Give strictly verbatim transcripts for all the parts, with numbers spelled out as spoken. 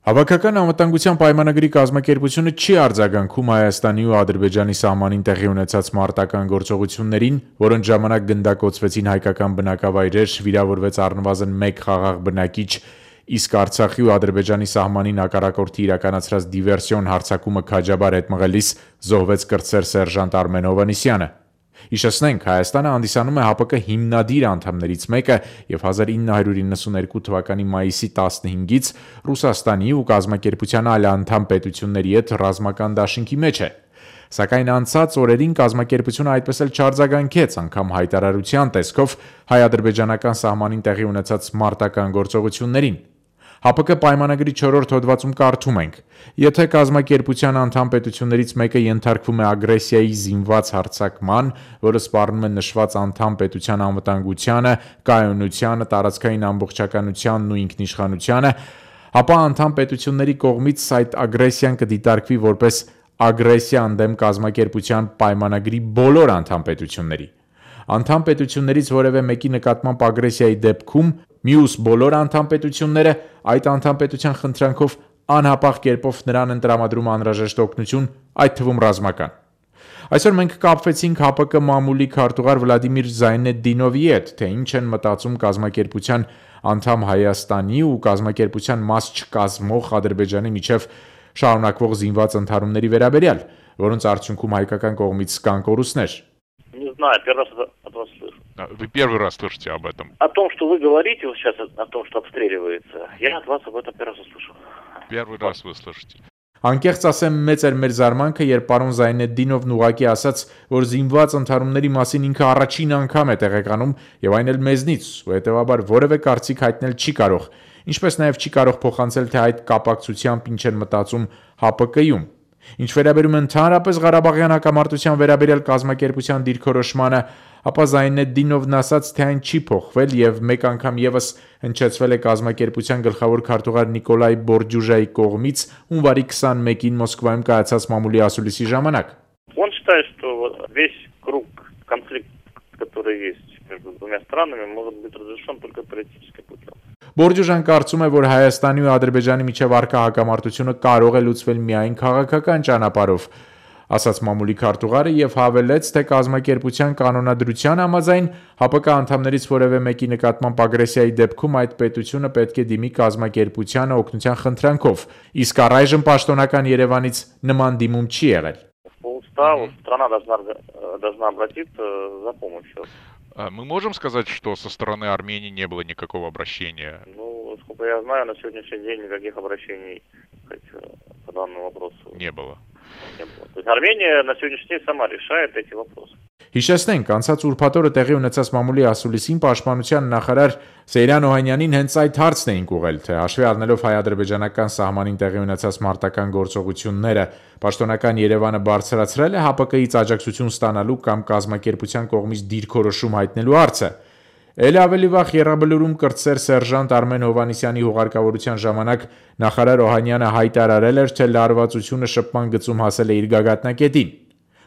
Հավաքական անվտանգության պայմանագրի կազմակերպությունը չի արձագանքում Հայաստանի ու Ադրբեջանի սահմանին տեղի ունեցած մարտական գործողություններին, որոնց ժամանակ գնդակոծվեցին հայկական բնակավայրեր, վիրավորվեց առնվազն մեկ խաղաղ բնակիչ, իսկ Արցախի ու Ադրբեջանի սահմանին հակառակորդի իրականացրած դիվերսիոն հարձակումը քաջաբար հետ մղելիս զոհվեց կրտսեր սերժանտ Արմեն Հովհաննիսյանը։ Հիշեցնենք, Հայաստանը հանդիսանում է ՀԱՊԿ հիմնադիր անդամներից մեկը և հազար ինը հարյուր իննսուններկու թվականի մայիսի տասնհինգից Ռուսաստանի ու կազմակերպության այլ անդամ պետությունների հետ ռազմական դաշինքի մեջ է։ Սակայն անցած օրերին կազմակերպությունը այդպես էլ չարձագանքեց, անգամ հայտարարության տեսքով հայ-ադրբեջանական սահմանին տեղի ունեցած մարտական գործողություններին։ ՀԱՊԿ պայմանագրի չորրորդ հոդվածում կարդում ենք. եթե կազմակերպության անդամ պետություններից մեկը ենթարկվում է ագրեսիայի զինված հարձակման, որը սպառնում է նշված անդամ պետության անվտանգությանը, կայունությանը, տարածքային ամբողջականությանն ու ինքնիշխանությանը, ապա անդամ պետությունների կողմից այդ ագրեսիան կդիտարկվի որպես ագրեսիա ընդդեմ կազմակերպության պայմանագրի բոլոր անդամ պետությունների։ Անդամ պետություններից որևէ մեկի նկատմամբ ագրեսիայի դեպքում մյուս բոլոր անդամ պետությունները այդ անդամ պետության խնդրանքով անհապաղ կերպով նրան են տրամադրում անհրաժեշտ օգնություն, այդ թվում ռազմական։ Այսօր մենք կապվեցինք ՀԱՊԿ մամուլի քարտուղար Վլադիմիր Զայնեդդինովի հետ, թե ինչ են մտածում կազմակերպության անդամ Հայաստանի ու կազմակերպության մաս չկազմող Ադրբեջանի միջև շարունակվող զինված ընդհարումների վերաբերյալ, որոնց արդյունքում հայկական կողմից կան կորուստներ։ Не знаю, первый раз от вас слышу. Вы первый раз слышите об этом? О том, что вы говорите вот сейчас, о том, что обстреливается, я от вас об этом первый раз услышал. Первый раз вы слышите. Անկեղծ ասեմ, մեծ էր մեր զարմանքը, երբ պարոն Զայնեդդինովն ուղղակի ասաց, որ զինված ընդհարումների մասին ինքը առաջին անգամ է տեղեկանում եւ այն էլ մեզնից, ու հետեւաբար որևէ կարծիք հայտնել չի կարող, ինչպես նաեւ չի կարող փոխանցել, թե այդ կապակցությամբ ինչ են մտածում ՀԱՊԿ-ում։ Ինչ վերաբերում է ընդհանրապես Ղարաբաղյան հակամարտության վերաբերյալ կազմակերպության դիրքորոշմանը, ապա Զայնեդդինովն ասաց, թե այն չի փոխվել եւ մեկ անգամ եւս հնչեցվել է կազմակերպության գլխավոր քարտուղար Նիկոլայ Բորդյուժայի կողմից հունվարի քսանմեկին Մոսկվայում կայացած մամուլի ասուլիսի ժամանակ։ Он считает, что весь круг конфликта, который есть между двумя странами, может быть разрешен только политическим путем. Բորդյուժան կարծում է, որ Հայաստանի ու Ադրբեջանի միջև առկա հակամարտությունը կարող է լուծվել միայն քաղաքական ճանապարհով, ասաց մամուլի քարտուղարը եւ հավելեց, թե կազմակերպության կանոնադրության համաձայն ՀԱՊԿ անդամներից որևէ մեկի նկատմամբ ագրեսիայի դեպքում այդ պետությունը պետք է դիմի կազմակերպությանը օգնության խնդրանքով, իսկ առայժմ պաշտոնական Երևանից նման դիմում չի եղել։ По уставу страна должна должна обратиться за помощью. Мы можем сказать, что со стороны Армении не было никакого обращения? Ну, сколько я знаю, на сегодняшний день никаких обращений по данному вопросу не было. Не было. То есть Армения на сегодняшний день сама решает эти вопросы. Հիշեցնենք, անցած ուրբաթ օրը տեղի ունեցած մամուլի ասուլիսին պաշտպանության նախարար Սեյրան Օհանյանին հենց այդ հարցն էին ուղղել, թե հաշվի առնելով հայ-ադրբեջանական սահմանին տեղի ունեցած մարտական գործողությունները, պաշտոնական Երևանը բարձրացրել է ՀԱՊԿ-ից աջակցություն ստանալու կամ կազմակերպության կողմից դիրքորոշում հայտնելու հարցը։ Էլ ավելի վաղ Եռաբլուրում կրտսեր սերժանտ Արմեն Հովհաննիսյանի հուղարկավորության ժամանակ նախարար Օհանյանը հայտարարել էր, թե լարվածությունը շփման գծում հասել է իր գագաթնակետին։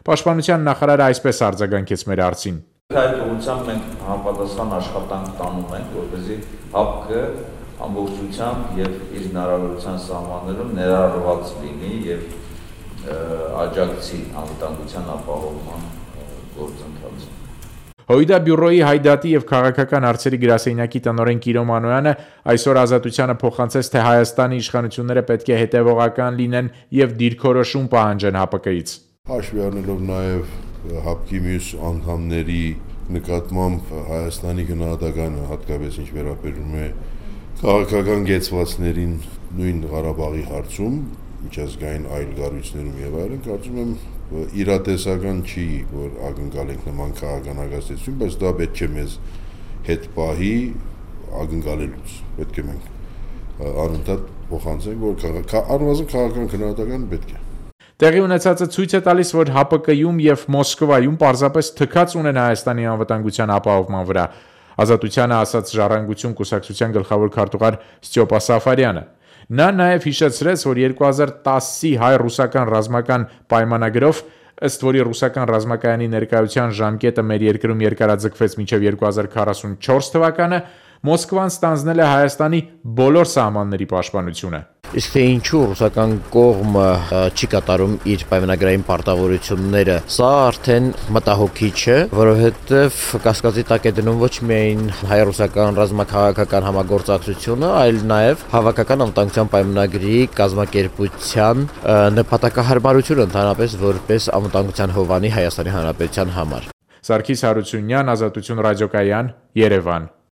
Պաշտպանության նախարարը այսպես արձագանքեց մեր հարցին. Այդ ուղղությամբ մենք համապատասխան աշխատանք տանում ենք, որպեսզի ՀԱՊԿ ամբողջությամբ եւ իր հնարավորության սահմաններում ներառված լինի եւ աջակցի անվտանգության ապահովման գործընթացին։ Հույդա բյուրոյի հայդատի եւ քաղաքական հարցերի գրասենյակի տնօրեն Կիրո Մանոյանը այսօր Ազատությանը փոխանցեց, թե Հայաստանի իշխանությունները պետք է հետեւողական լինեն եւ դիրքորոշում պահանջեն ՀԱՊԿ-ից։ Հաշվի առնելով նաև ՀԱՊԿ-ի մյուս անդամների նկատմամբ Հայաստանի գնահատականը, հատկապես ինչ վերաբերում է քաղաքական կեցվածներին նույն Ղարաբաղի հարցում, միջազգային այլ կառույցներում եւ այլն, կարծում եմ իրատեսական չի, որ ակնկալենք նման քաղաքական հագաստեցություն, բայց դա պետք է մեզ հետ պահի ակնկալելուց։ Պետք է մենք անընդհատ փոխանցենք, որ առնվազն քաղաքական գնահատական պետք է։ Տեղի ունեցածը ցույց է տալիս, որ ՀԱՊԿ-ում եւ Մոսկվայում պարզապես թքած ունեն Հայաստանի անվտանգության ապահովման վրա, Ազատությանը ասաց Ժառանգություն կուսակցության գլխավոր քարտուղար Ստյոպա Սաֆարյանը։ Նա նաև հիշեցրեց, որ երկու հազար տասի հայ-ռուսական ռազմական պայմանագրով, ըստ որի ռուսական ռազմակայանի ներկայության ժամկետը մեր երկրում երկարաձգվեց մինչև երկու հազար քառասունչորս թվականը, Մոսկվան ստանձնել է Հայաստանի բոլոր սահմանների պաշտպանությունը։ Իսկ թե ինչու ռուսական կողմը չի կատարում իր պայմանագրային պարտավորությունները, սա արդեն մտահոգիչ է, որովհետև կասկածի տակ է դնում ոչ միայն հայ-ռուսական ռազմաքաղաքական համագործակցությունը, այլ նաև հավաքական անվտանգության պայմանագրի կազմակերպության նպատակահարմարությունը ընդհանրապես որպես անվտանգության հովանի Հայաստանի Հանրապետության համար։ Սարգիս Հարությունյան, Ազատություն ռադիոկայան, Երևան։